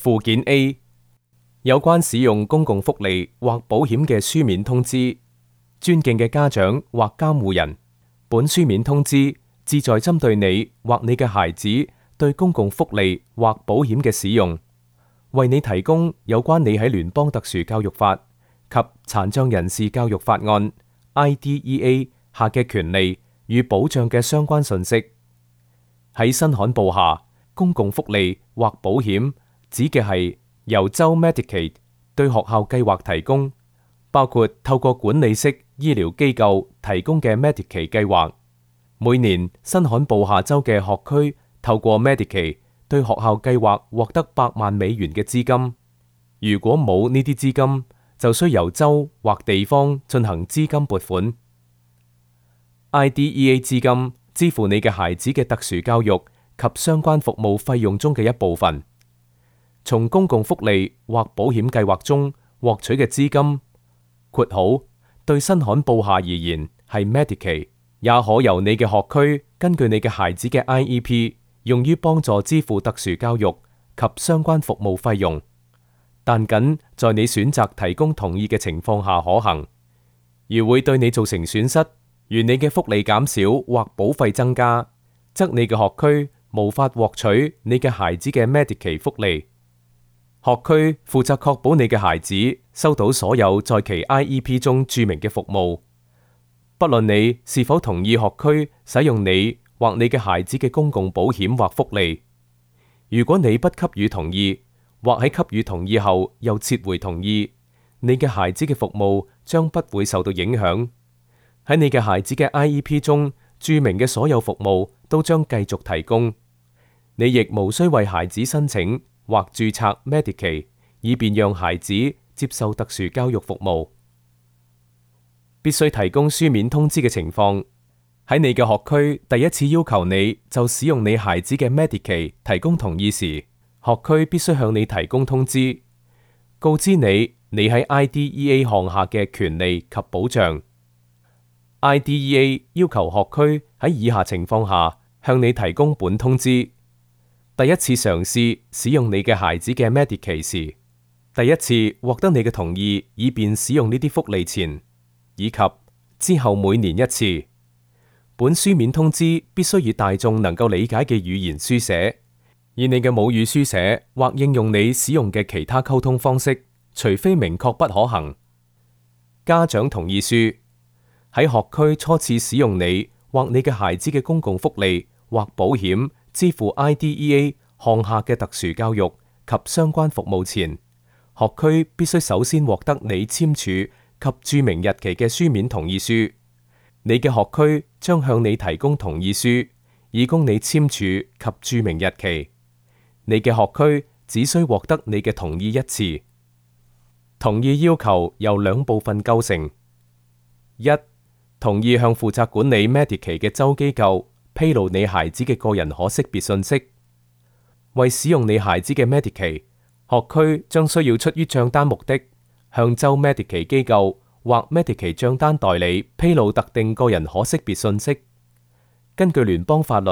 附件 A 有關使用公共福利或保險嘅書面通知。尊敬嘅家長或監護人，本書面通知旨在針對你或你嘅孩子對公共福利或保險嘅使用，為你提供有關你喺聯邦特殊教育法及殘障人士教育法案 IDEA 下嘅權利與保障嘅相關信息。喺新罕布下，公共福利或保險指嘅係由州 Medicaid 對學校計劃提供，包括透過管理式醫療機構提供嘅 Medicaid 計劃。每年新罕布夏州嘅學區透過 Medicaid 對學校計劃獲得8萬美元嘅資金。如果冇呢啲資金，就需由州或地方進行資金撥款。IDEA 資金支付你嘅孩子嘅特殊教育及相關服務費用中嘅一部分。從公共福利或保險計劃中獲取嘅資金（括號對新罕布夏而言係 Medicaid） 也可由你嘅學區根據你嘅孩子嘅 IEP 用於幫助支付特殊教育及相關服務費用，但僅在你選擇提供同意嘅情況下可行。而會對你造成損失，如你嘅福利減少或保費增加，則你嘅學區無法獲取你嘅孩子嘅 Medicaid 福利。學區負責確保你嘅孩子收到所有在其 IEP 中註明嘅服務，不論你是否同意學區使用你或你嘅孩子嘅公共保險或福利。如果你不給予同意，或喺給予同意後又撤回同意，你嘅孩子嘅服務將不會受到影響。喺你嘅孩子嘅 IEP 中註明嘅所有服務都將繼續提供。你亦無需為孩子申請或註冊 Medicaid， 以便讓孩子接受特殊教育服務。必須提供書面通知嘅情況，喺你嘅學區第一次要求你就使用你孩子嘅 Medicaid 提供同意時，學區必須向你提供通知，告知你喺 IDEA 項下嘅權利及保障。IDEA 要求學區喺以下情況下向你提供本通知：第一次嘗試使用你嘅孩子嘅 Medicaid 時，第一次獲得你嘅同意以便使用呢啲福利前，以及之後每年一次。本書面通知必須以大眾能夠理解嘅語言書寫，以你嘅母語書寫或應用你使用嘅其他溝通方式，除非明確不可行。家長同意書喺學區初次使用你或你嘅孩子嘅公共福利或保險支付 IDEA 項下嘅特殊教育及相關服務前，學區必須首先獲得你簽署及註明日期嘅書面同意書。你嘅學區將向你提供同意書，以供你簽署及註明日期。你嘅學區只需獲得你嘅同意一次。同意要求由兩部分構成：一、同意向負責管理 Medicaid 嘅州機構披露你孩子嘅個人可識別信息。為使用你孩子嘅 Medicaid，學區將需要出於賬單目的，向州 Medicaid 機構或 Medicaid 賬單代理披露特定個人可識別信息。根據聯邦法律，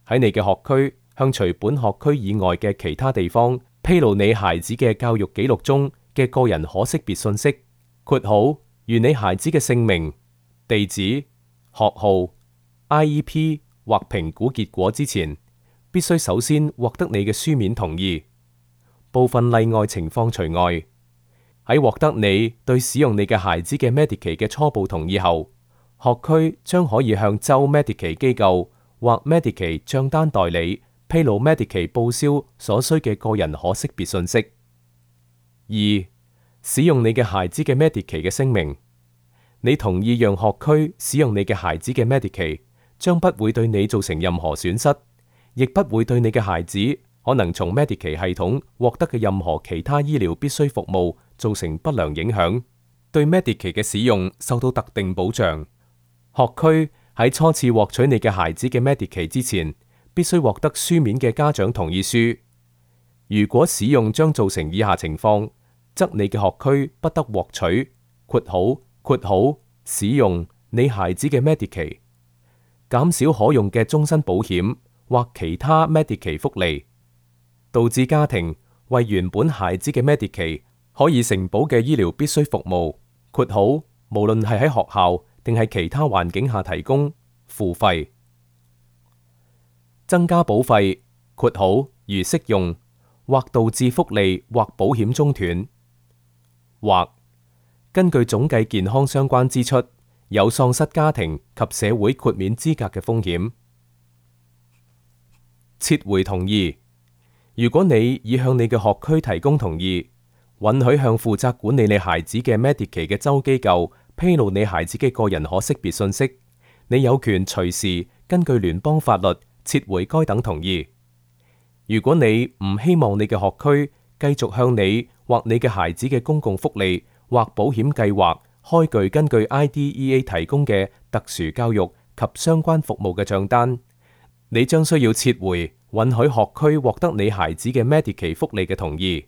喺你嘅學區向除本學區以外嘅其他地方披露你孩子嘅教育記錄中嘅個人可識別信息（括號如你孩子嘅姓名、地址、學號、IEP 或評估結果）之前，必須首先獲得你嘅書面同意。部分例外情況除外。喺獲得你對使用你嘅孩子嘅 Medicaid 嘅初步同意後，學區將可以向州 Medicaid 機構或 Medicaid 賬單代理披露 Medicaid 報銷所需嘅個人可識別信息。二、使用你嘅孩子嘅 Medicaid 嘅聲明。你同意讓學區使用你嘅孩子嘅 Medicaid，將不會對你造成任何損失，亦不會對你嘅孩子可能從 Medicaid 系統獲得嘅任何其他醫療必需服務造成不良影響，對 Medicaid 嘅使用受到特定保障。學區喺初次獲取你嘅孩子嘅 Medicaid 之前，必須獲得書面嘅家長同意書。如果使用將造成以下情況，則你嘅學區不得獲取（括號使用你孩子嘅 Medicaid）、減少可用嘅終身保險或其他 Medicaid 福利，導致家庭為原本孩子嘅 Medicaid 可以承保嘅醫療必須服務（括號無論係喺學校定係其他環境下提供）付費，增加保費（括號如適用）或導致福利或保險中斷，或根據總計健康相關支出有喪失家庭及社會豁免資格嘅風險。撤回同意。如果你已向你嘅學區提供同意，允許向負責管理你孩子嘅 Medicaid 嘅州機構披露你孩子嘅個人可識別信息，你有權隨時根據聯邦法律撤回該等同意。如果你唔希望你嘅學區繼續向你或你嘅孩子嘅公共福利或保險計劃開具根據 IDEA 提供嘅特殊教育及相關服務嘅賬單，你將需要撤回允許學區獲得你孩子嘅 Medicaid 福利嘅同意。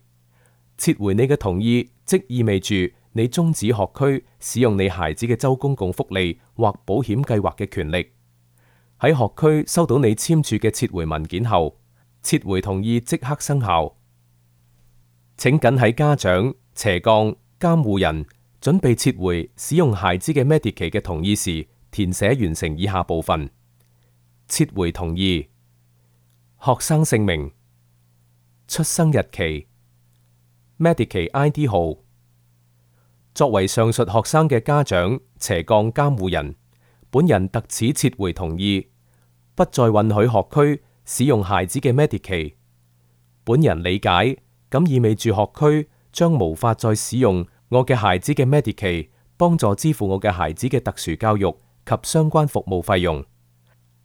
撤回你嘅同意，即意味住你終止學區使用你孩子嘅州公共福利或保險計劃嘅權力。喺學區收到你簽署嘅撤回文件後，撤回同意即刻生效。請謹喺家長/監護人準備撤回使用孩子嘅 Medicaid 嘅同意時，填寫完成以下部分：撤回同意、學生姓名、出生日期、Medicaid ID 號。作為上述學生嘅家長/監護人，本人特此撤回同意，不再允許學區使用孩子嘅 Medicaid。本人理解，咁意味住學區將無法再使用我嘅孩子嘅 Medicaid 幫助支付我嘅孩子嘅特殊教育及相關服務費用。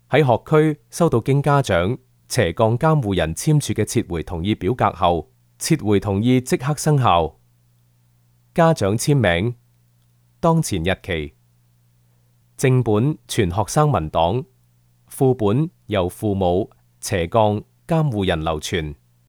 喺學區收到經家長/監護人簽署嘅撤回同意表格後，撤回同意即刻生效。家長簽名、當前日期、正本全學生文檔，副本由父母/監護人留存。